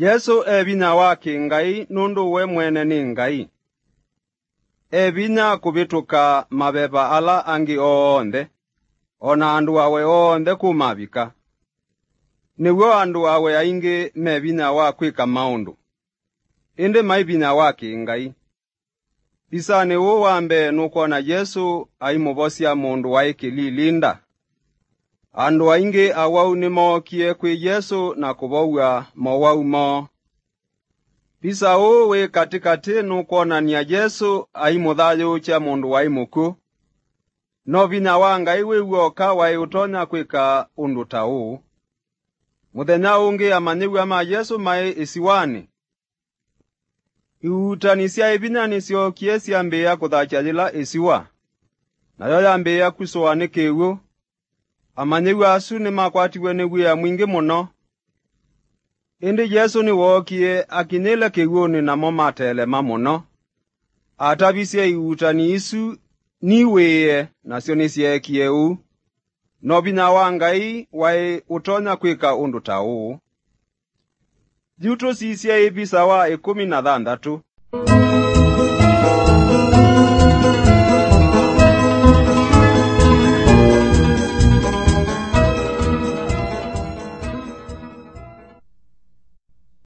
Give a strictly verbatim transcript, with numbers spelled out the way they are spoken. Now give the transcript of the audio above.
Yesũ e vinya wa kĩ-Ngai nũndũ we mwene nĩ Ngai. E vinya kũvĩtũka maveva ala angĩ onthe, o na andũ awe onthe kũmavika. Nĩw'o andũ awe aingĩ me vinya wa kwĩka maũndũ, ĩndĩ mai vinya wa kĩ-Ngai. Visanĩ ũũ wa mbee nũkwona Yesũ aimũvosya mũndũ waĩ kĩlilinda. Andũ aingĩ awau nĩmookie kwĩ Yesũ na kũvow'a mowau moo. Visa ũũ wĩ katĩkatĩ nũkwonany'a Yesũ aimũthayũũkya mũndũ waĩ mũkw'ũ. No vinya wa Ngai wĩ w'oka waĩ ũtonya kwĩka ũndũ ta ũũ. Mũthenya ũngĩ amanyĩw'a ma Yesũ maĩ ĩsiwanĩ. Iuutani syaĩ vinya nĩsyookie syambĩĩa kũthakya yĩla ĩsiwa, nayo yambĩĩa kusũwa nĩ kĩw'ũ. Amanyĩw'a asu nĩmakwatiw'e nĩ wia mwingĩ mũno. Ĩndĩ Yesũ nĩwookie akinyĩle kĩw'ũnĩ, namo matelema mũno. Atavisye iuutani isu niw'ĩĩe, nasyo nĩsyeekie ũu. No vinya wa Ngai waĩ ũtonya kwĩka ũndũ ta ũũ. Yu tũsisye ĩvisa wa ĩkũmi na thanthatũ.